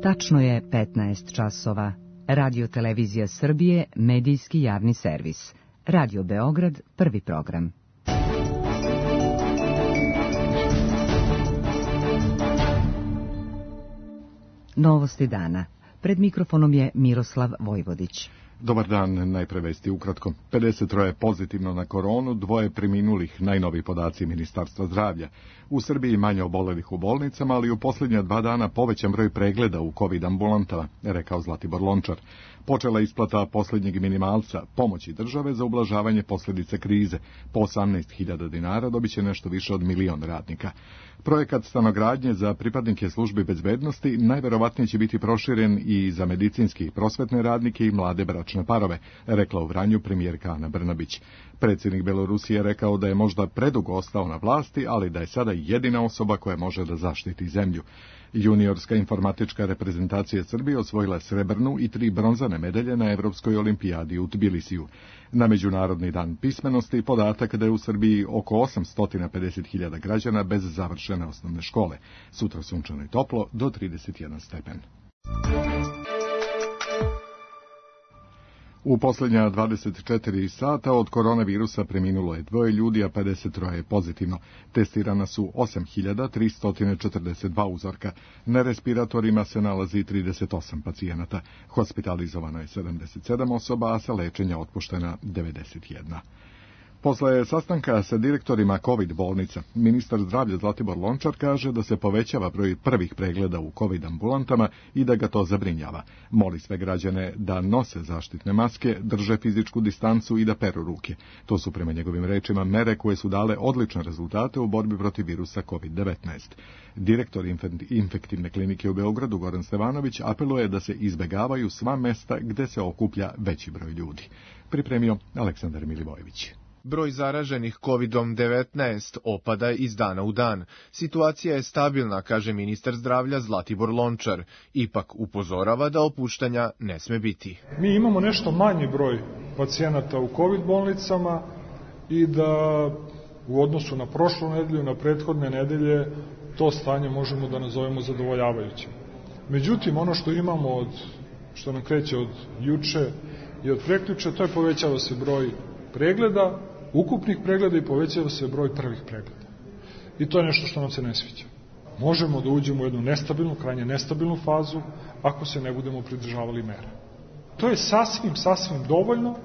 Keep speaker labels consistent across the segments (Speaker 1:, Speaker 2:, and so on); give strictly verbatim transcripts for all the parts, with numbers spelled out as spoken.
Speaker 1: Tačno je petnaest časova. Radio Televizija Srbije, medijski javni servis. Radio Beograd, prvi program. Novosti dana. Pred mikrofonom je Miroslav Vojvodić.
Speaker 2: Dobar dan, najpre vesti ukratko. pedeset troje pozitivno na koronu, dvoje preminulih, najnoviji podaci Ministarstva zdravlja. U Srbiji manje obolelih u bolnicama, ali u posljednja dva dana povećan broj pregleda u COVID ambulantama, rekao Zlatibor Lončar. Počela isplata posljednjeg minimalca, pomoći države za ublažavanje posljedice krize. Po osamnaest hiljada dinara dobit će nešto više od milion radnika. Projekat stanogradnje za pripadnike službi bezbednosti najverovatnije će biti proširen i za medicinski i prosvetne radnike i mlade bračne parove, rekla u Vranju premijerka Ana Brnabić. Predsjednik Belorusije rekao da je možda predugo ostao na vlasti, ali da je sada jedina osoba koja može da zaštiti zemlju. Juniorska informatička reprezentacija Srbije osvojila srebrnu i tri bronzane medalje na Evropskoj olimpijadi u Tbilisiju. Na Međunarodni dan pismenosti podatak da je u Srbiji oko osamsto pedeset hiljada građana bez završene osnovne škole. Sutra sunčano i toplo do trideset jedan stepen. U posljednja dvadeset četiri sata od koronavirusa preminulo je dvoje ljudi, a pedeset troje je pozitivno. Testirana su osam hiljada tristo četrdeset dva uzorka. Na respiratorima se nalazi trideset osam pacijenata. Hospitalizovano je sedamdeset sedam osoba, a sa lečenja otpuštena devedeset jedna. Posle sastanka sa direktorima COVID bolnica, ministar zdravlja Zlatibor Lončar kaže da se povećava broj prvih pregleda u COVID ambulantama i da ga to zabrinjava. Moli sve građane da nose zaštitne maske, drže fizičku distancu i da peru ruke. To su prema njegovim rečima mere koje su dale odlične rezultate u borbi protiv virusa COVID devetnaest. Direktor infektivne klinike u Beogradu Goran Stevanović apeluje da se izbegavaju sva mesta gde se okuplja veći broj ljudi. Pripremio Aleksandar Milivojević.
Speaker 3: Broj zaraženih kovidom devetnaest opada iz dana u dan. Situacija je stabilna, kaže ministar zdravlja Zlatibor Lončar. Ipak upozorava da opuštanja ne sme biti.
Speaker 4: Mi imamo nešto manji broj pacijenata u COVID bolnicama i da u odnosu na prošlu nedelju, na prethodne nedelje, to stanje možemo da nazovemo zadovoljavajućim. Međutim, ono što imamo, od, što nam kreće od juče i od prekjuče, to je povećava se broj pregleda, ukupnih pregleda i povećava se broj prvih pregleda. I to je nešto što nam se ne sviđa. Možemo da uđemo u jednu nestabilnu, krajnje nestabilnu fazu ako se ne budemo pridržavali mera. To je sasvim, sasvim dovoljno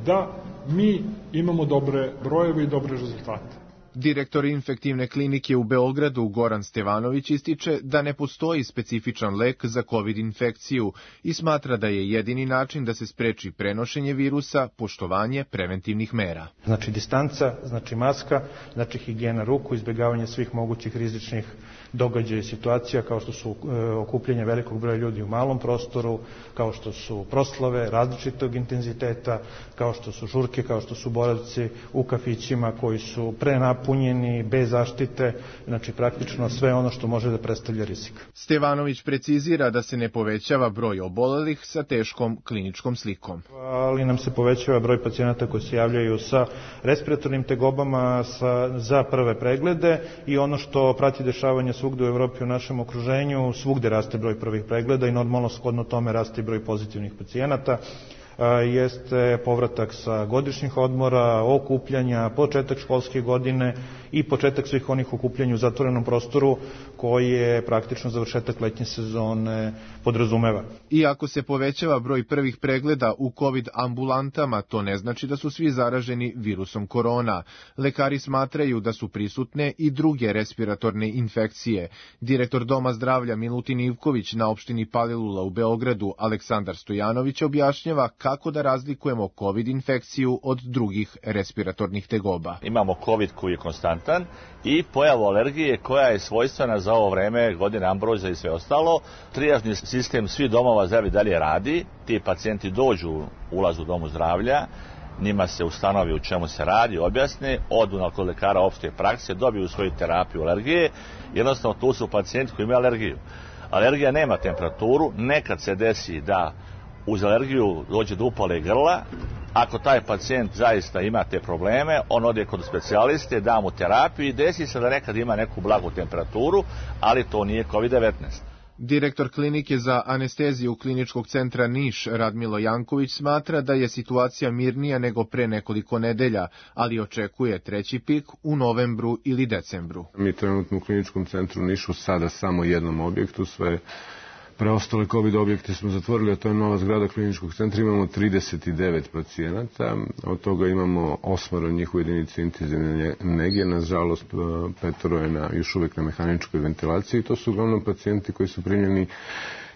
Speaker 4: da mi imamo dobre brojeve i dobre rezultate.
Speaker 3: Direktor infektivne klinike u Beogradu Goran Stevanović ističe da ne postoji specifičan lek za COVID infekciju i smatra da je jedini način da se spreči prenošenje virusa poštovanje preventivnih mera.
Speaker 5: Znači distanca, znači maska, znači higijena ruku, izbjegavanje svih mogućih rizičnih događaja i situacija kao što su e, okupljanje velikog broja ljudi u malom prostoru, kao što su proslave različitog intenziteta, kao što su žurke, kao što su boravci u kafićima koji su prenapunjeni, bez zaštite, znači praktično sve ono što može da predstavlja rizik.
Speaker 3: Stevanović precizira da se ne povećava broj obolelih sa teškom kliničkom slikom.
Speaker 5: Ali nam se povećava broj pacijenata koji se javljaju sa respiratornim tegobama sa, za prve preglede i ono što prati dešavanje svugde u Evropi u našem okruženju, svugde raste broj prvih pregleda i normalno shodno tome raste broj pozitivnih pacijenata. Jeste povratak sa godišnjih odmora, okupljanja, početak školske godine i početak svih onih okupljanja u zatvorenom prostoru koje praktično završetak letnje sezone podrazumeva.
Speaker 3: Iako se povećava broj prvih pregleda u COVID ambulantama, to ne znači da su svi zaraženi virusom korona. Lekari smatraju da su prisutne i druge respiratorne infekcije. Direktor Doma zdravlja Milutin Ivković na opštini Palilula u Beogradu Aleksandar Stojanović objašnjava kako da razlikujemo COVID infekciju od drugih respiratornih tegoba.
Speaker 6: Imamo COVID koji je konstantan i pojavu alergije koja je svojstvena za ovo vreme, godine ambroza i sve ostalo. Trijažni sistem svih domova zdravlja dalje radi, ti pacijenti dođu, ulazu u domu zdravlja, njima se ustanovi u čemu se radi, objasne, odu kod lekara opšte prakse, dobiju svoju terapiju alergije, jednostavno tu su pacijenti koji imaju alergiju. Alergija nema temperaturu, nekad se desi da uz alergiju dođe do upale grla. Ako taj pacijent zaista ima te probleme, on ode kod specijaliste, da mu terapiju i desi se da nekad ima neku blagu temperaturu, ali to nije COVID devetnaest.
Speaker 3: Direktor klinike za anesteziju Kliničkog centra Niš Radmilo Janković smatra da je situacija mirnija nego pre nekoliko nedelja, ali očekuje treći pik u novembru ili decembru.
Speaker 7: Mi trenutno u Kliničkom centru Nišu sada samo jednom objektu, sve preostale COVID objekte smo zatvorili, a to je nova zgrada Kliničkog centra, imamo trideset devet pacijenata, od toga imamo osmoro njih u jedinici intenzivne nege, nažalost petoro je na, još uvijek na mehaničkoj ventilaciji, to su uglavnom pacijenti koji su primljeni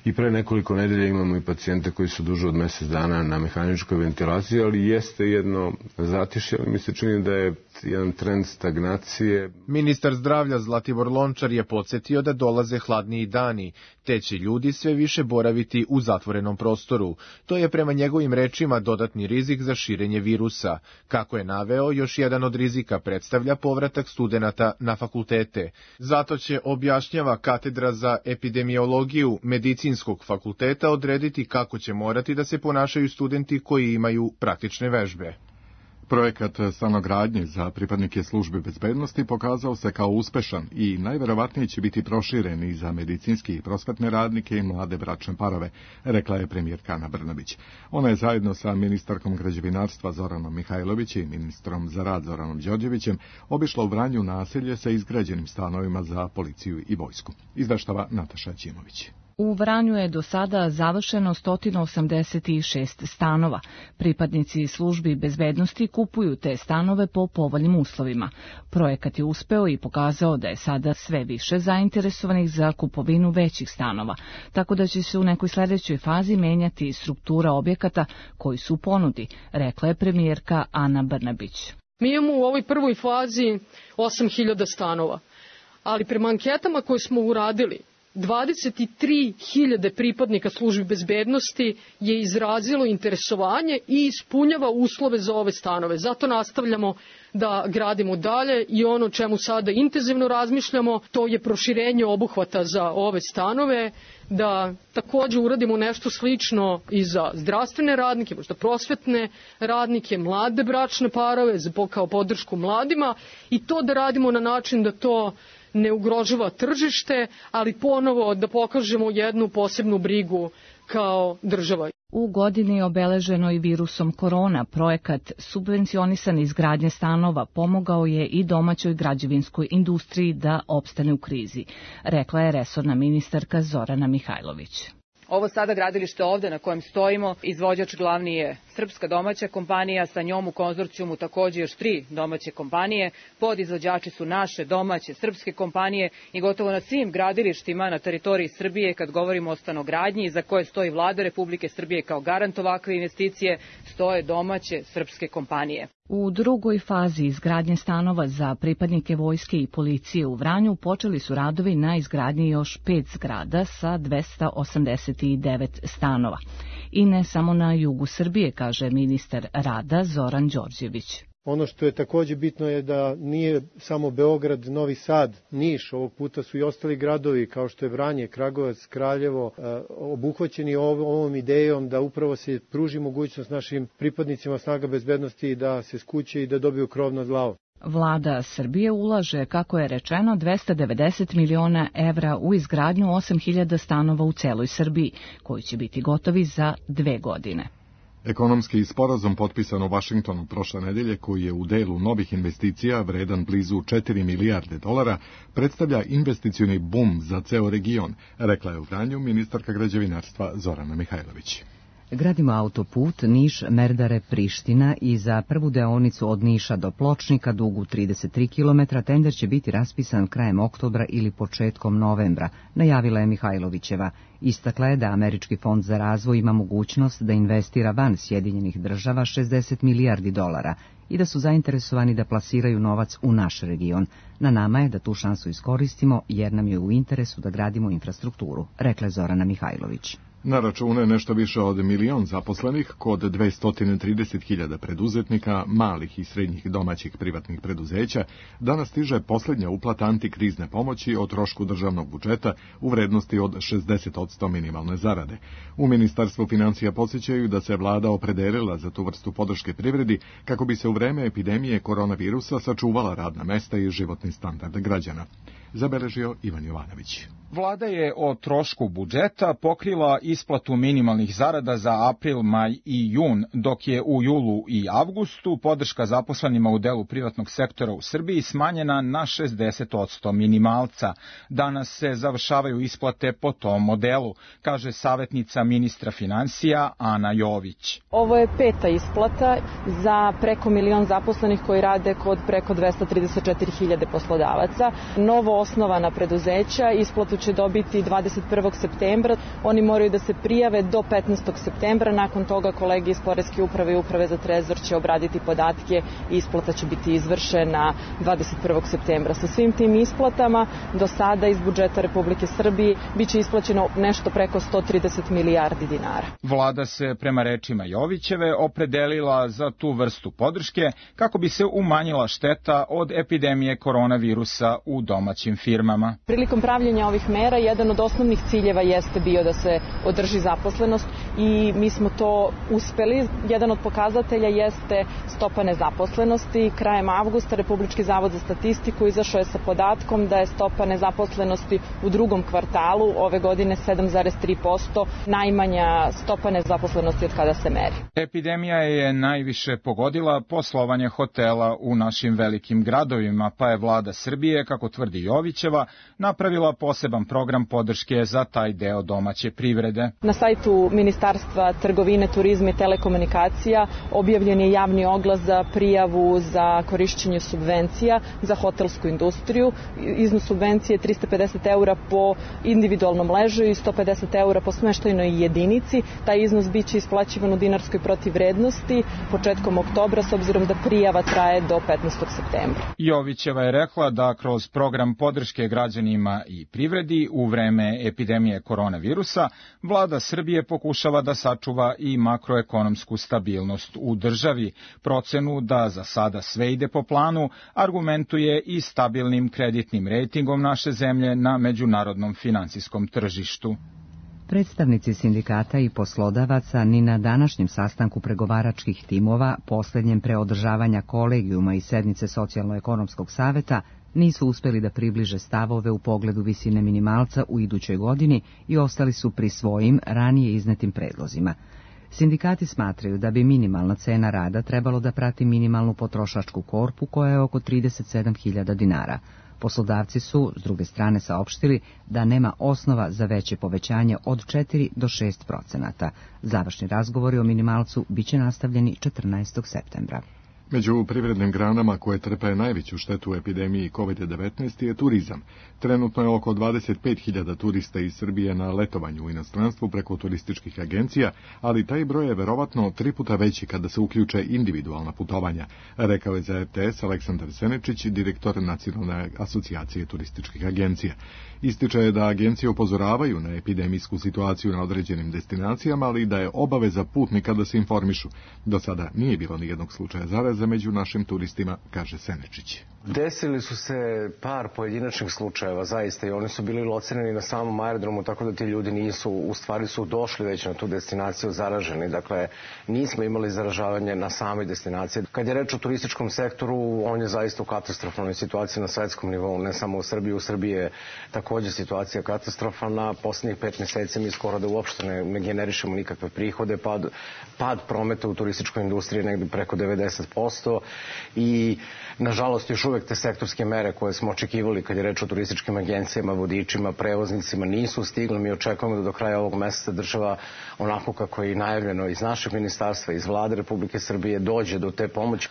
Speaker 7: i pre nekoliko nedelja, imamo i pacijente koji su duže od mjesec dana na mehaničkoj ventilaciji, ali jeste jedno zatišje, ali mi se čini da je jedan trend stagnacije.
Speaker 3: Ministar zdravlja Zlatibor Lončar je podsjetio da dolaze hladniji dani, te će ljudi sve više boraviti u zatvorenom prostoru. To je prema njegovim rečima dodatni rizik za širenje virusa. Kako je naveo, još jedan od rizika predstavlja povratak studenata na fakultete. Zato će, objašnjava katedra za epidemiologiju Medicinskog fakulteta, odrediti kako će morati da se ponašaju studenti koji imaju praktične vežbe.
Speaker 2: Projekat stanogradnje za pripadnike službe bezbednosti pokazao se kao uspešan i najverovatnije će biti proširen i za medicinski i prosvetne radnike i mlade bračne parove, rekla je premijerka Ana Brnabić. Ona je zajedno sa ministarkom građevinarstva Zoranom Mihajlović i ministrom za rad Zoranom Đorđevićem obišla u Vranju naselje sa izgrađenim stanovima za policiju i vojsku. Izveštava Nataša Ćimović.
Speaker 8: U Vranju je do sada završeno sto osamdeset šest stanova. Pripadnici službi bezbednosti kupuju te stanove po povoljnim uslovima. Projekat je uspeo i pokazao da je sada sve više zainteresovanih za kupovinu većih stanova, tako da će se u nekoj sljedećoj fazi menjati struktura objekata koji su u ponudi, rekla je premijerka Ana Brnabić.
Speaker 9: Mi imamo u ovoj prvoj fazi osam hiljada stanova, ali prema anketama koje smo uradili, dvadeset tri hiljade pripadnika službi bezbednosti je izrazilo interesovanje i ispunjava uslove za ove stanove. Zato nastavljamo da gradimo dalje i ono čemu sada intenzivno razmišljamo, to je proširenje obuhvata za ove stanove, da također uradimo nešto slično i za zdravstvene radnike, možda prosvetne radnike, mlade bračne parove, kao podršku mladima, i to da radimo na način da to ne ugrožava tržište, ali ponovo da pokažemo jednu posebnu brigu kao država.
Speaker 8: U godini obeleženoj virusom korona, projekat subvencionisan izgradnje stanova pomogao je i domaćoj građevinskoj industriji da opstane u krizi, rekla je resorna ministarka Zorana Mihajlović.
Speaker 10: Ovo sada gradilište ovde na kojem stojimo, izvođač glavni je srpska domaća kompanija, sa njom u konzorcijumu također još tri domaće kompanije, podizvođači su naše domaće srpske kompanije i gotovo na svim gradilištima na teritoriji Srbije, kad govorimo o stanogradnji za koje stoji Vlada Republike Srbije kao garant ovakve investicije, stoje domaće srpske kompanije.
Speaker 8: U drugoj fazi izgradnje stanova za pripadnike vojske i policije u Vranju počeli su radovi na izgradnji još pet zgrada sa dvesta osamdeset devet stanova. I ne samo na jugu Srbije, kaže ministar rada Zoran Đorđević.
Speaker 11: Ono što je također bitno je da nije samo Beograd, Novi Sad, Niš, ovog puta su i ostali gradovi kao što je Vranje, Kragujevac, Kraljevo, obuhvaćeni ovom idejom da upravo se pruži mogućnost našim pripadnicima snaga bezbednosti da se skuće i da dobiju krov nad glavom.
Speaker 8: Vlada Srbije ulaže, kako je rečeno, dvesta devedeset miliona evra u izgradnju osam hiljada stanova u celoj Srbiji, koji će biti gotovi za dve godine.
Speaker 2: Ekonomski sporazum potpisan u Vašingtonu prošle nedelje, koji je u delu novih investicija vredan blizu četiri milijarde dolara, predstavlja investicioni bum za ceo region, rekla je u Vranju ministarka građevinarstva Zorana Mihajlović.
Speaker 1: Gradimo autoput Niš-Merdare-Priština i za prvu deonicu od Niša do Pločnika, dugu trideset tri kilometra, tender će biti raspisan krajem oktobra ili početkom novembra, najavila je Mihajlovićeva. Istakla je da Američki fond za razvoj ima mogućnost da investira van Sjedinjenih država šezdeset milijardi dolara i da su zainteresovani da plasiraju novac u naš region. Na nama je da tu šansu iskoristimo jer nam je u interesu da gradimo infrastrukturu, rekla je Zorana Mihajlović.
Speaker 2: Na računu je nešto više od milion zaposlenih kod dvesta trideset hiljada preduzetnika, malih i srednjih domaćih privatnih preduzeća. Danas stiže posljednja uplata antikrizne pomoći o trošku državnog budžeta u vrednosti od šezdeset posto minimalne zarade. U Ministarstvu financija podsjećaju da se vlada opredelila za tu vrstu podrške privredi kako bi se u vreme epidemije koronavirusa sačuvala radna mesta i životni standard građana. Zabeležio Ivan Jovanović.
Speaker 12: Vlada je o trošku budžeta pokrila isplatu minimalnih zarada za april, maj i jun, dok je u julu i avgustu podrška zaposlenima u delu privatnog sektora u Srbiji smanjena na šezdeset posto minimalca. Danas se završavaju isplate po tom modelu, kaže savjetnica ministra finansija Ana Jović.
Speaker 13: Ovo je peta isplata za preko milion zaposlenih koji rade kod preko dvesta trideset četiri hiljade poslodavaca. Novo osnovana preduzeća isplatu će dobiti dvadeset prvog septembra. Oni moraju da se prijave do petnaestog septembra. Nakon toga kolege iz Poreske uprave i Uprave za trezor će obraditi podatke i isplata će biti izvršena dvadeset prvog septembra. Sa svim tim isplatama do sada iz budžeta Republike Srbije biće isplaćeno nešto preko sto trideset milijardi dinara.
Speaker 12: Vlada se prema rečima Jovićeve opredelila za tu vrstu podrške kako bi se umanjila šteta od epidemije koronavirusa u domaćim firmama.
Speaker 13: Prilikom pravljenja ovih mera jedan od osnovnih ciljeva jeste bio da se održi zaposlenost i mi smo to uspeli. Jedan od pokazatelja jeste stopa nezaposlenosti. Krajem avgusta Republički zavod za statistiku izašao je sa podatkom da je stopa nezaposlenosti u drugom kvartalu ove godine sedam zarez tri posto, najmanja stopa nezaposlenosti od kada se meri.
Speaker 12: Epidemija je najviše pogodila poslovanje hotela u našim velikim gradovima, pa je vlada Srbije, kako tvrdi Jovićeva, napravila poseban program podrške za taj deo domaće privrede.
Speaker 13: Na sajtu Ministarstva trgovine, turizma i telekomunikacija objavljen je javni oglas za prijavu za korišćenje subvencija za hotelsku industriju. Iznos subvencije je trista pedeset eura po individualnom ležaju i sto pedeset eura po smeštajnoj jedinici. Taj iznos biće isplaćivan u dinarskoj protivvrednosti početkom oktobra, s obzirom da prijava traje do petnaestog septembra.
Speaker 12: Jovićeva je rekla da kroz program podrške građanima i privredi u vreme epidemije koronavirusa vlada Srbije pokušava da sačuva i makroekonomsku stabilnost u državi. Procenu da za sada sve ide po planu argumentuje i stabilnim kreditnim rejtingom naše zemlje na međunarodnom finansijskom tržištu.
Speaker 1: Predstavnici sindikata i poslodavaca ni na današnjem sastanku pregovaračkih timova, posljednjem pre održavanja kolegijuma i sednice Socijalno-ekonomskog saveta, nisu uspeli da približe stavove u pogledu visine minimalca u idućoj godini i ostali su pri svojim ranije iznetim predlozima. Sindikati smatraju da bi minimalna cena rada trebalo da prati minimalnu potrošačku korpu koja je oko trideset sedam hiljada dinara. Poslodavci su, s druge strane, saopštili da nema osnova za veće povećanje od četiri do šest procenata. Završni razgovori o minimalcu biće nastavljeni četrnaestog septembra.
Speaker 2: Među privrednim granama koje trpe najveću štetu u epidemiji kovid devetnaest je turizam. Trenutno je oko dvadeset pet hiljada turista iz Srbije na letovanju u inostranstvu preko turističkih agencija, ali taj broj je verovatno tri puta veći kada se uključe individualna putovanja, rekao je za er te es Aleksandar Senečić, direktor Nacionalne asocijacije turističkih agencija. Ističe da agencije upozoravaju na epidemijsku situaciju na određenim destinacijama, ali da je obaveza putnika da se informišu. Do sada nije bilo nijednog slučaja zaraze među našim turistima, kaže Senečić.
Speaker 14: Desili su se par pojedinačnih slučajeva, zaista, i oni su bili locirani na samom aerodromu, tako da ti ljudi nisu, u stvari su došli već na tu destinaciju zaraženi. Dakle, nismo imali zaražavanje na samoj destinaciji. Kad je reč o turističkom sektoru, on je zaista u katastrofalnoj situaciji na svetskom nivou, ne samo u Srbiji. U Srbiji je također situacija katastrofalna. Poslednjih pet meseci mi skoro da uopšte ne, ne generišemo nikakve prihode. Pad, pad prometa u turističkoj industriji je negdje preko devedeset posto i, nažalost, još uvek te sektorske mere koje smo očekivali kad je reč o turističkim agencijama, vodičima, prevoznicima nisu stigli. Mi očekujemo da do kraja ovog meseca država, onako kako je i najavljeno iz našeg ministarstva, iz vlade Republike Srbije, dođe do te pomoći.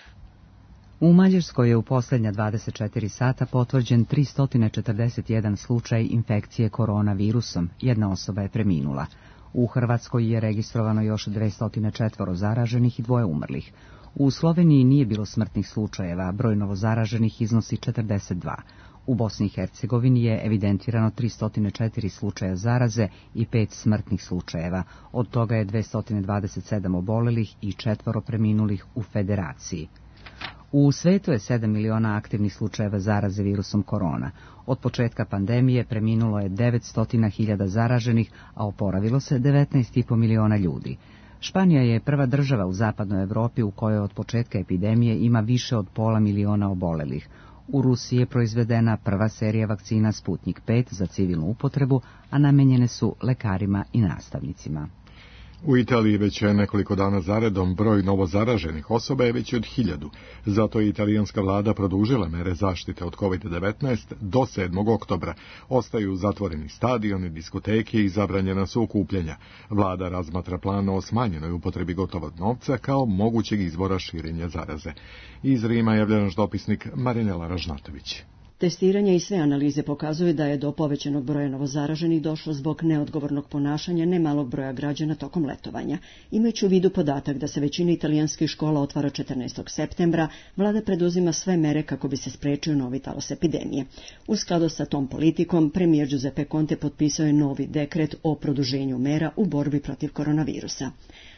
Speaker 1: U Mađarskoj je u posljednja dvadeset četiri sata potvrđen tristo četrdeset jedan slučaj infekcije koronavirusom. Jedna osoba je preminula. U Hrvatskoj je registrovano još dvesta četiri zaraženih i dvoje umrlih. U Sloveniji nije bilo smrtnih slučajeva, broj novozaraženih iznosi četrdeset dva. U Bosni i Hercegovini je evidentirano tristo četiri slučaja zaraze i pet smrtnih slučajeva, od toga je dvesta dvadeset sedam obolelih i četvoro preminulih u Federaciji. U svetu je sedam miliona aktivnih slučajeva zaraze virusom korona. Od početka pandemije preminulo je devetsto hiljada zaraženih, a oporavilo se devetnaest i po miliona ljudi. Španija je prva država u zapadnoj Evropi u kojoj od početka epidemije ima više od pola miliona obolelih. U Rusiji je proizvedena prva serija vakcina Sputnik pet za civilnu upotrebu, a namenjene su lekarima i nastavnicima.
Speaker 2: U Italiji već je nekoliko dana zaredom broj novozaraženih osoba je veći od hiljadu. Zato je italijanska vlada produžila mere zaštite od kovid devetnaest do sedmog oktobra. Ostaju zatvoreni stadioni, diskoteke i zabranjena su okupljanja. Vlada razmatra plan o smanjenoj upotrebi gotovog novca kao mogućeg izvora širenja zaraze. Iz Rima javlja naš dopisnik Marinela Ražnatović.
Speaker 15: Testiranje i sve analize pokazuju da je do povećanog broja novozaraženih došlo zbog neodgovornog ponašanja nemalog broja građana tokom letovanja. Imajući u vidu podatak da se većina italijanskih škola otvara četrnaestog septembra, vlada preduzima sve mere kako bi se sprečio novi talas epidemije. U skladu sa tom politikom, premijer Giuseppe Conte potpisao je novi dekret o produženju mera u borbi protiv koronavirusa.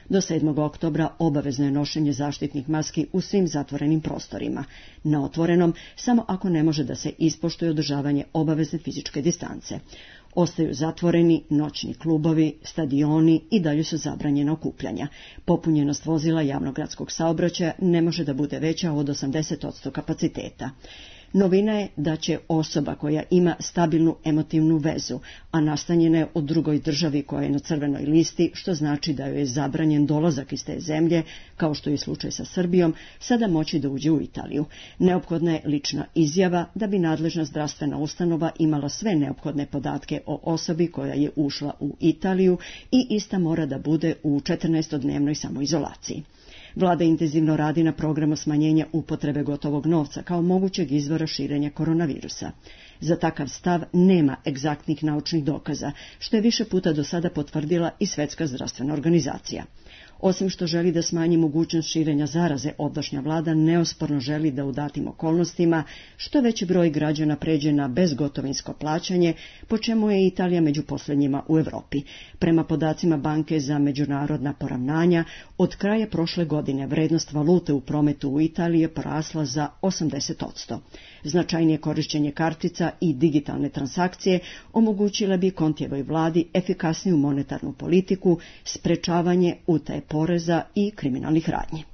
Speaker 15: Do sedmog oktobra obavezno je nošenje zaštitnih maski u svim zatvorenim prostorima. Na otvorenom, samo ako ne može da se ispoštuje održavanje obavezne fizičke distance. Ostaju zatvoreni noćni klubovi, stadioni i dalje su zabranjena okupljanja. Popunjenost vozila javnog gradskog saobraćaja ne može da bude veća od osamdeset posto kapaciteta. Novina je da će osoba koja ima stabilnu emotivnu vezu, a nastanjena je u drugoj državi koja je na crvenoj listi, što znači da joj je zabranjen dolazak iz te zemlje, kao što je slučaj sa Srbijom, sada moći da uđe u Italiju. Neophodna je lična izjava da bi nadležna zdravstvena ustanova imala sve neophodne podatke o osobi koja je ušla u Italiju i ista mora da bude u četrnaestodnevnoj samoizolaciji. Vlada intenzivno radi na programu smanjenja upotrebe gotovog novca kao mogućeg izvora širenja koronavirusa. Za takav stav nema egzaktnih naučnih dokaza, što je više puta do sada potvrdila i Svetska zdravstvena organizacija. Osim što želi da smanji mogućnost širenja zaraze, ovdašnja vlada neosporno želi da u datim okolnostima što veći broj građana pređe na bezgotovinsko plaćanje, po čemu je Italija među posljednjima u Europi. Prema podacima Banke za međunarodna poravnanja, od kraja prošle godine vrednost valute u prometu u Italiji je porasla za osamdeset posto. Značajnije korišćenje kartica i digitalne transakcije omogućile bi Contijevoj vladi efikasniju monetarnu politiku, sprečavanje utaje poreza i kriminalnih radnji.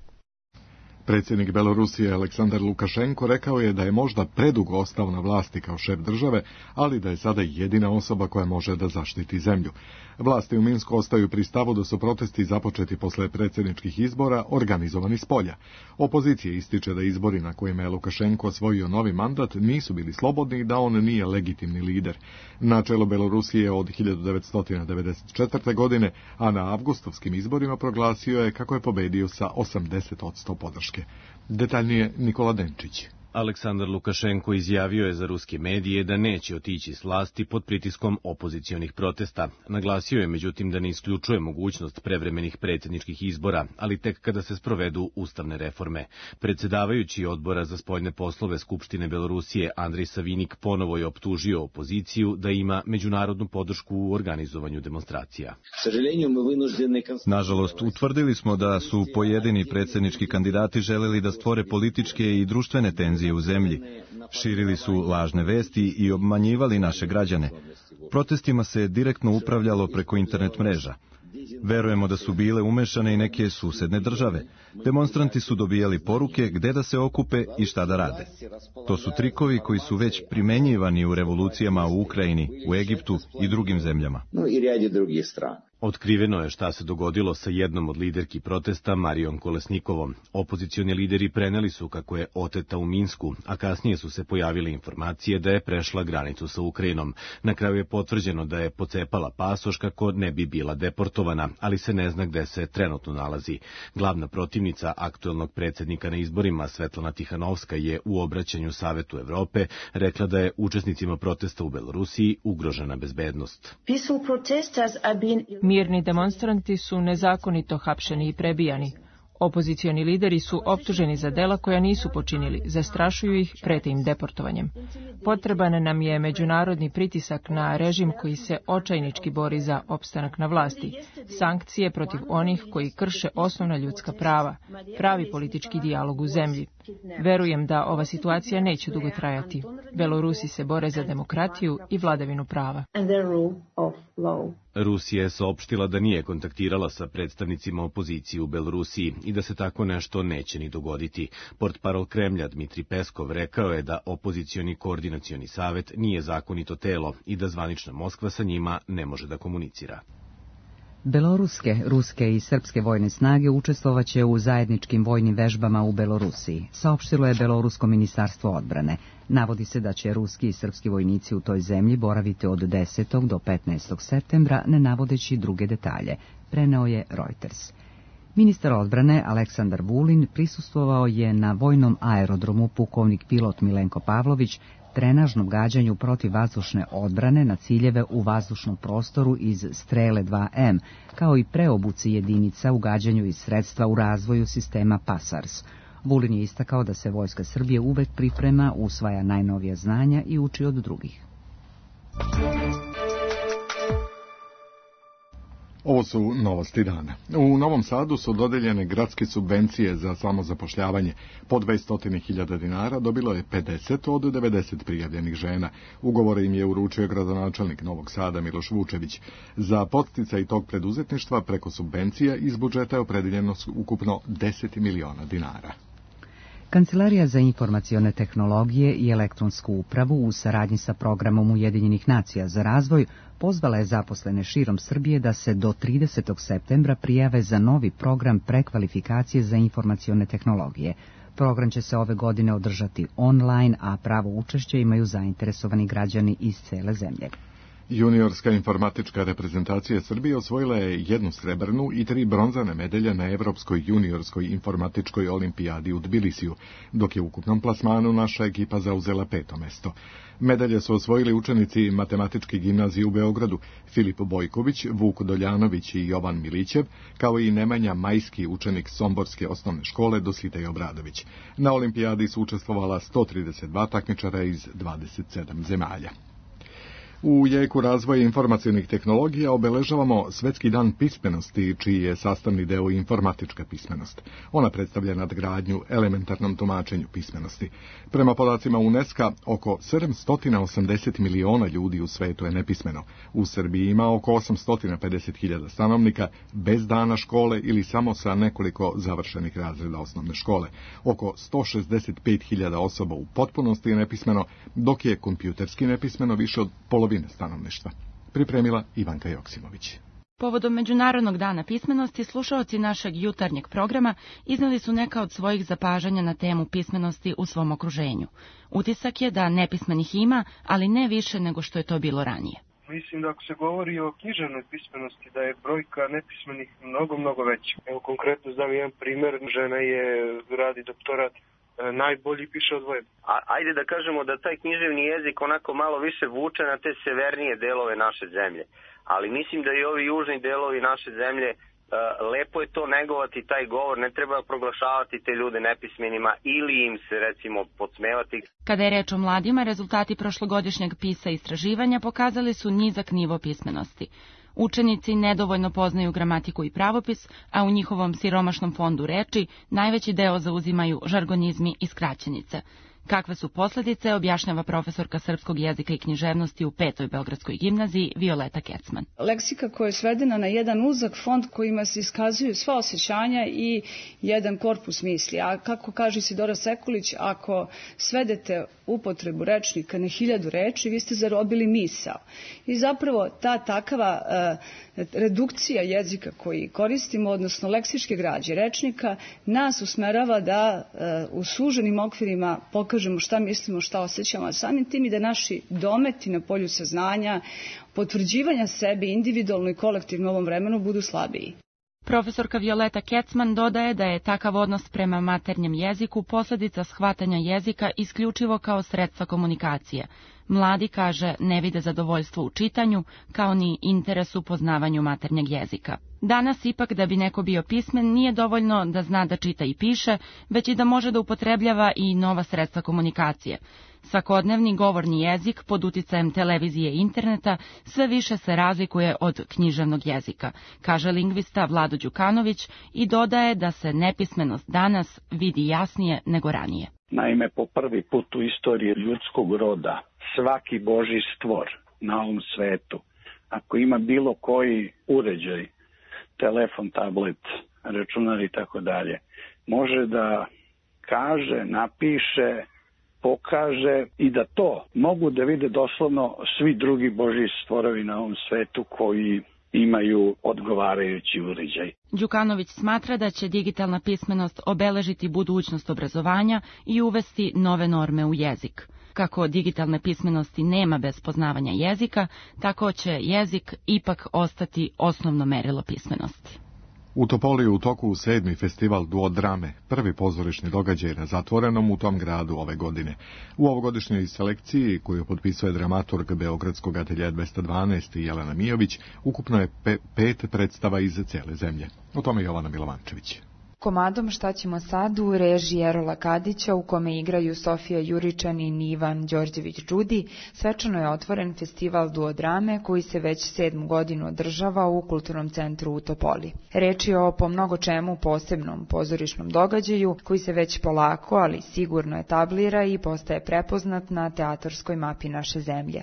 Speaker 2: Predsjednik Belorusije Aleksandar Lukašenko rekao je da je možda predugo ostao na vlasti kao šef države, ali da je sada jedina osoba koja može da zaštiti zemlju. Vlasti u Minsku ostaju pri stavu da su protesti započeti posle predsjedničkih izbora organizovani s polja. Opozicija ističe da izbori na kojima je Lukašenko osvojio novi mandat nisu bili slobodni i da on nije legitimni lider. Na čelo Belorusije od hiljadu devetsto devedeset četvrte. godine, a na avgustovskim izborima proglasio je kako je pobedio sa osamdeset posto podrške. Detaljnije Nikola Denčić.
Speaker 16: Aleksandar Lukašenko izjavio je za ruske medije da neće otići s vlasti pod pritiskom opozicionih protesta. Naglasio je međutim da ne isključuje mogućnost prevremenih predsjedničkih izbora, ali tek kada se sprovedu ustavne reforme. Predsjedavajući odbora za spoljne poslove Skupštine Belorusije Andrej Savinik ponovo je optužio opoziciju da ima međunarodnu podršku u organizovanju demonstracija.
Speaker 17: Nažalost, utvrdili smo da su pojedini predsjednički kandidati želeli da stvore političke i društvene tenzije u zemlji. Širili su lažne vesti i obmanjivali naše građane. Protestima se direktno upravljalo preko internet mreža. Verujemo da su bile umešane i neke susedne države. Demonstranti su dobijali poruke gde da se okupe i šta da rade. To su trikovi koji su već primenjivani u revolucijama u Ukrajini, u Egiptu i drugim zemljama.
Speaker 16: Otkriveno je šta se dogodilo sa jednom od liderki protesta, Marijom Kolesnikovom. Opozicioni lideri preneli su kako je oteta u Minsku, a kasnije su se pojavile informacije da je prešla granicu sa Ukrajinom. Na kraju je potvrđeno da je pocepala pasoš kako ne bi bila deportovana, ali se ne zna gde se trenutno nalazi. Glavna protivnica aktuelnog predsjednika na izborima, Svetlana Tihanovska, je u obraćanju Savetu Evrope rekla da je učesnicima protesta u Belorusiji ugrožena bezbednost.
Speaker 18: Mirni demonstranti su nezakonito hapšeni i prebijani. Opozicioni lideri su optuženi za dela koja nisu počinili, zastrašuju ih, prete im deportovanjem. Potreban nam je međunarodni pritisak na režim koji se očajnički bori za opstanak na vlasti. sankcije protiv onih koji krše osnovna ljudska prava, pravi politički dijalog u zemlji. Verujem da ova situacija neće dugo trajati. Belorusi se bore za demokratiju i vladavinu prava.
Speaker 16: Rusija je saopštila da nije kontaktirala sa predstavnicima opozicije u Belorusiji i da se tako nešto neće ni dogoditi. Portparol Kremlja Dmitri Peskov rekao je da opozicioni koordinacioni savet nije zakonito telo i da zvanična Moskva sa njima ne može da komunicira.
Speaker 1: Beloruske, ruske i srpske vojne snage učestvovaće u zajedničkim vojnim vežbama u Belorusiji, saopštilo je Belorusko ministarstvo odbrane. Navodi se da će ruski i srpski vojnici u toj zemlji boraviti od desetog do petnaestog septembra, ne navodeći druge detalje, preneo je Reuters. Ministar odbrane Aleksandar Vulin prisustvovao je na vojnom aerodromu pukovnik pilot Milenko Pavlović trenažnom gađanju protiv vazdušne odbrane na ciljeve u vazdušnom prostoru iz Strele dva M, kao i preobuci jedinica u gađanju iz sredstva u razvoju sistema PASARS. Vulin je istakao da se Vojska Srbije uvek priprema, usvaja najnovija znanja i uči od drugih.
Speaker 2: Ovo su novosti dana. U Novom Sadu su dodeljene gradske subvencije za samozapošljavanje. Po dvesta hiljada dinara dobilo je pedeset od devedeset prijavljenih žena. Ugovore im je uručio gradonačelnik Novog Sada Miloš Vučević. Za podsticaj tog preduzetništva preko subvencija iz budžeta je opredeljeno ukupno deset miliona dinara.
Speaker 1: Kancelarija za informacione tehnologije i elektronsku upravu u saradnji sa programom Ujedinjenih nacija za razvoj pozvala je zaposlene širom Srbije da se do tridesetog septembra prijave za novi program prekvalifikacije za informacione tehnologije. Program će se ove godine održati online, a pravo učešće imaju zainteresovani građani iz cele zemlje.
Speaker 2: Juniorska informatička reprezentacija Srbije osvojila je jednu srebrnu i tri bronzane medalje na Evropskoj juniorskoj informatičkoj olimpijadi u Tbilisiju, dok je u ukupnom plasmanu naša ekipa zauzela peto mesto. Medalje su osvojili učenici Matematičke gimnazije u Beogradu, Filip Bojković, Vuk Doljanović i Jovan Milićev, kao i Nemanja Majski, učenik Somborske osnovne škole Dositej Obradović. Na olimpijadi su učestvovala sto trideset dva takmičara iz dvadeset sedam zemalja. U jeku razvoja informacionih tehnologija obeležavamo Svetski dan pismenosti, čiji je sastavni deo informatička pismenost. Ona predstavlja nadgradnju elementarnom tumačenju pismenosti. Prema podacima UNESCO, oko sedamsto osamdeset miliona ljudi u svetu je nepismeno. U Srbiji ima oko osamsto pedeset hiljada stanovnika bez dana škole ili samo sa nekoliko završenih razreda osnovne škole. Oko sto šezdeset pet hiljada osoba u potpunosti je nepismeno, dok je kompjuterski nepismeno više od polovine stanovništva. Pripremila Ivanka Joksimović.
Speaker 19: Povodom Međunarodnog dana pismenosti, slušaoci našeg jutarnjeg programa izneli su neka od svojih zapažanja na temu pismenosti u svom okruženju. Utisak je da nepismenih ima, ali ne više nego što je to bilo ranije.
Speaker 20: Mislim da ako se govori o književnoj pismenosti, da je brojka nepismenih mnogo, mnogo veća. Evo konkretno znam jedan primjer, žena je radi doktorat, najbolji piše odvojen.
Speaker 21: A, ajde da kažemo da taj književni jezik onako malo više vuče na te severnije delove naše zemlje. Ali mislim da i ovi južni delovi naše zemlje, uh, lepo je to negovati taj govor, ne treba proglašavati te ljude nepismenima ili im se recimo podsmevati.
Speaker 19: Kada je reč o mladima, rezultati prošlogodišnjeg PISA istraživanja pokazali su nizak nivo pismenosti. Učenici nedovoljno poznaju gramatiku i pravopis, a u njihovom siromašnom fondu reči najveći deo zauzimaju žargonizmi i skraćenice. Kakve su posledice, objašnjava profesorka srpskog jezika i književnosti u petoj Beogradskoj gimnaziji Violeta Kecman.
Speaker 22: Leksika koja je svedena na jedan uzak fond kojima se iskazuju sva osjećanja i jedan korpus misli. A kako kaže Isidora Sekulić, ako svedete upotrebu rečnika na hiljadu reči, vi ste zarobili misao. I zapravo ta takava uh, redukcija jezika koji koristimo, odnosno leksičke građe rečnika, nas usmerava da uh, u suženim okvirima pokažemo šta mislimo, šta osjećamo, a samim tim i da naši dometi na polju saznanja, potvrđivanja sebe individualno i kolektivno u ovom vremenu budu slabiji.
Speaker 19: Profesorka Violeta Kecman dodaje da je takav odnos prema maternjem jeziku posledica shvatanja jezika isključivo kao sredstva komunikacije. Mladi, kaže, ne vide zadovoljstvo u čitanju, kao ni interes u poznavanju maternjeg jezika. Danas ipak da bi neko bio pismen nije dovoljno da zna da čita i piše, već i da može da upotrebljava i nova sredstva komunikacije. Svakodnevni govorni jezik pod uticajem televizije i interneta sve više se razlikuje od književnog jezika, kaže lingvista Vlado Đukanović i dodaje da se nepismenost danas vidi jasnije nego ranije.
Speaker 4: Naime, po prvi put u istoriji ljudskog roda svaki Božji stvor na ovom svetu, ako ima bilo koji uređaj, telefon, tablet, računar i tako dalje, može da kaže, napiše, pokaže i da to mogu da vide doslovno svi drugi Božji stvorovi na ovom svetu koji imaju odgovarajući uređaj.
Speaker 19: Đukanović smatra da će digitalna pismenost obeležiti budućnost obrazovanja i uvesti nove norme u jezik. Kako digitalne pismenosti nema bez poznavanja jezika, tako će jezik ipak ostati osnovno merilo pismenosti.
Speaker 2: U Topoli u toku sedmi festival duodrame, prvi pozorišni događaj na zatvorenom u tom gradu ove godine. U ovogodišnjoj selekciji, koju potpisuje dramaturg Beogradskog ateljeja dvesta dvanaest Jelena Mijović, ukupno je pe pet predstava iz cele zemlje. O tome Jovana Milovančević.
Speaker 5: Komadom Šta ćemo sad u režiji Erola Kadića, u kome igraju Sofija Juričanin i Ivan Đorđević-Đudi, svečano je otvoren festival duodrame koji se već sedmu godinu održava u Kulturnom centru u Topoli. Reč je o po mnogo čemu posebnom pozorišnom događaju koji se već polako, ali sigurno etablira i postaje prepoznat na teatarskoj mapi naše zemlje.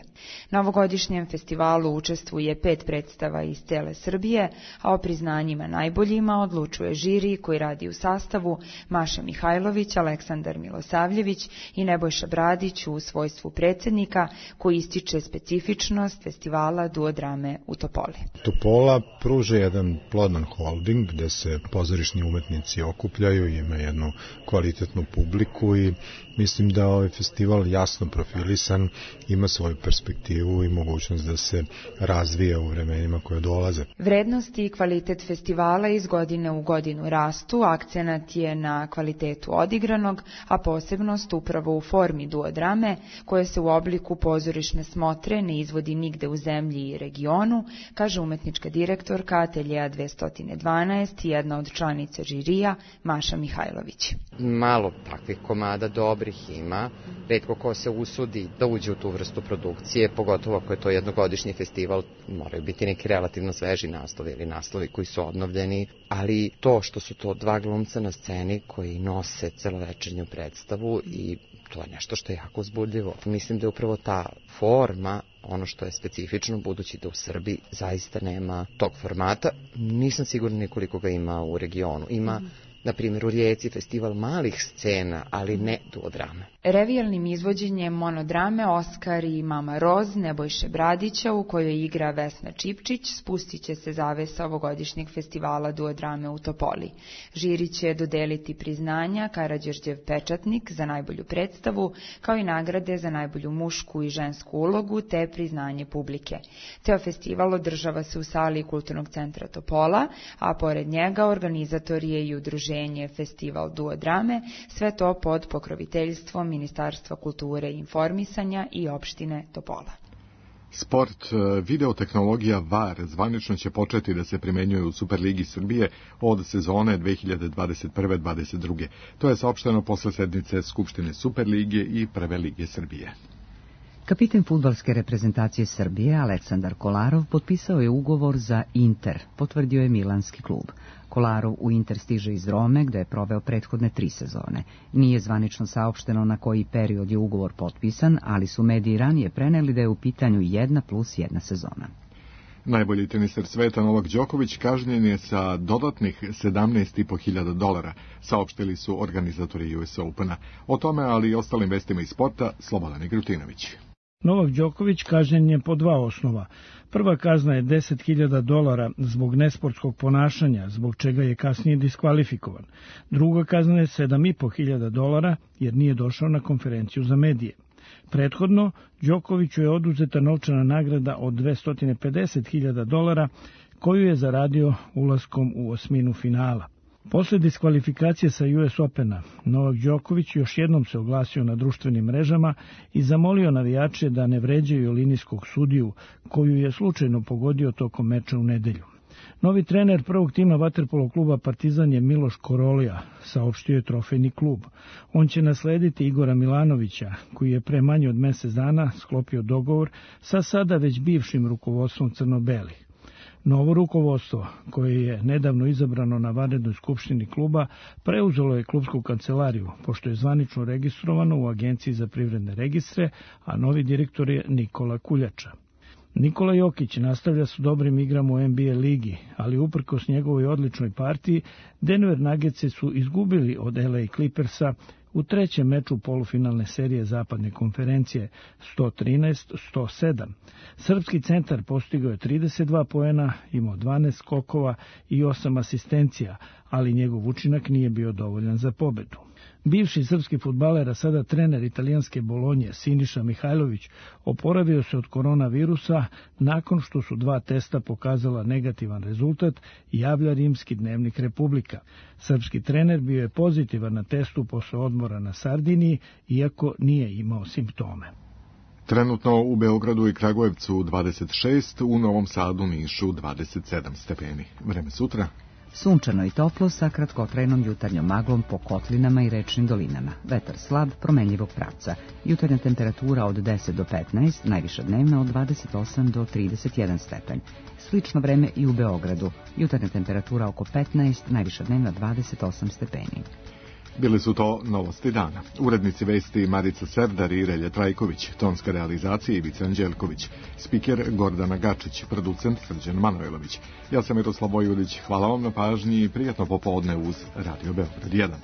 Speaker 5: Na ovogodišnjem festivalu učestvuje pet predstava iz cele Srbije, a o priznanjima najboljima odlučuje žiri koji radi u sastavu Maša Mihajlović, Aleksandar Milosavljević i Nebojša Bradić u svojstvu predsjednika, koji ističe specifičnost festivala duodrame u Topoli.
Speaker 23: Topola pruža jedan plodan holding gde se pozorišni umetnici okupljaju, ima jednu kvalitetnu publiku i mislim da ovaj festival jasno profilisan, ima svoju perspektivu i mogućnost da se razvija u vremenima koje dolaze.
Speaker 5: Vrednosti i kvalitet festivala iz godine u godinu rastu, akcenat je na kvalitetu odigranog, a posebnost upravo u formi duodrame, koja se u obliku pozorišne smotre ne izvodi nigde u zemlji i regionu, kaže umetnička direktorka ateljeja dvesta dvanaest i jedna od članica žirija Maša Mihajlović.
Speaker 24: Malo takvih komada dobrih ima, retko ko se usudi da uđe u tu vrstu produkcije, pogotovo ako je to jednogodišnji festival, moraju biti neki relativno sveži naslovi ili naslovi koji su obnovljeni, ali to što su to dva glumca na sceni koji nose celovečernju predstavu i to je nešto što je jako uzbudljivo. Mislim da je upravo ta forma ono što je specifično, budući da u Srbiji zaista nema tog formata. Nisam sigurna nikoliko ga ima u regionu. Ima, na primjer, u Rijeci festival malih scena, ali ne duodrame.
Speaker 5: Revijalnim izvođenjem monodrame Oskar i Mama Roz Nebojše Bradića, u kojoj igra Vesna Čipčić, spustit će se zavesa ovogodišnjeg festivala duodrame u Topoli. Žiri će dodeliti priznanja Karađorđev pečatnik za najbolju predstavu, kao i nagrade za najbolju mušku i žensku ulogu, te priznanje publike. Ceo festival održava se u sali Kulturnog centra Topola, a pored njega organizator je i udruženje Festival duodrame, sve to pod pokroviteljstvom Ministarstva kulture i informisanja i opštine Topola.
Speaker 2: Sport, videotehnologija V A R zvanično će početi da se primenjuje u Superligi Srbije od sezone dve hiljade dvadeset prve dvadeset druge. To je saopšteno posle sednice Skupštine Superlige i Prve lige Srbije.
Speaker 1: Kapiten fudbalske reprezentacije Srbije Aleksandar Kolarov potpisao je ugovor za Inter, potvrdio je milanski klub. Kolarov u Inter stiže iz Rome, gde je proveo prethodne tri sezone. Nije zvanično saopšteno na koji period je ugovor potpisan, ali su mediji ranije preneli da je u pitanju jedna plus jedna sezona.
Speaker 2: Najbolji teniser sveta Novak Đoković kažnjen je sa dodatnih sedamnaest i po hiljada dolara, saopštili su organizatori U S Opena. O tome, ali i ostalim vestima iz sporta, Slobodan Igrutinović.
Speaker 25: Novak Đoković kažnjen je po dva osnova. Prva kazna je deset hiljada dolara zbog nesportskog ponašanja, zbog čega je kasnije diskvalifikovan. Druga kazna je sedam i po hiljada dolara jer nije došao na konferenciju za medije. Prethodno, Đokoviću je oduzeta novčana nagrada od dvesta pedeset hiljada dolara koju je zaradio ulaskom u osminu finala. Posle diskvalifikacije sa U S Opena, Novak Đoković još jednom se oglasio na društvenim mrežama i zamolio navijače da ne vređaju linijskog sudiju, koju je slučajno pogodio tokom meča u nedelju. Novi trener prvog tima vaterpolo kluba Partizan je Miloš Korolija, saopštio je trofejni klub. On će naslediti Igora Milanovića, koji je pre manje od mesec dana sklopio dogovor sa sada već bivšim rukovodstvom crno-belih. Novo rukovodstvo, koje je nedavno izabrano na vanrednoj skupštini kluba, preuzelo je klubsku kancelariju, pošto je zvanično registrovano u Agenciji za privredne registre, a novi direktor je Nikola Kuljača. Nikola Jokić nastavlja s dobrim igram u N B A ligi, ali uprkos njegovoj odličnoj partiji, Denver Nuggets su izgubili od L A Clippersa u trećem meču polufinalne serije zapadne konferencije sto trinaest sto sedam. Srpski centar postigao je trideset dva poena, imao dvanaest skokova i osam asistencija, ali njegov učinak nije bio dovoljan za pobedu. Bivši srpski fudbaler, a sada trener italijanske Bolonje, Siniša Mihajlović, oporavio se od koronavirusa nakon što su dva testa pokazala negativan rezultat, javlja rimski dnevnik Republika. Srpski trener bio je pozitivan na testu posle odmora na Sardiniji, iako nije imao simptome.
Speaker 2: Trenutno u Beogradu i Kragujevcu dvadeset šest, u Novom Sadu, Nišu dvadeset sedam stepeni. Vreme sutra?
Speaker 1: Sunčano i toplo sa kratkotrajnom jutarnjom maglom po kotlinama i rečnim dolinama. Vetar slab, promenljivog pravca. Jutarnja temperatura od deset do petnaest, najviša dnevna od dvadeset osam do trideset jedan stepen. Slično vreme i u Beogradu. Jutarnja temperatura oko petnaest, najviša dnevna dvadeset osam stepeni.
Speaker 2: Bili su to novosti dana. Urednici vesti Marica Serdar i Relje Trajković, tonska realizacija Ivica Anđelković, spiker Gordana Gačić, producent Srđan Manojlović. Ja sam Miroslav Vojvodić, hvala vam na pažnji i prijatno popodne uz Radio Beograd jedan.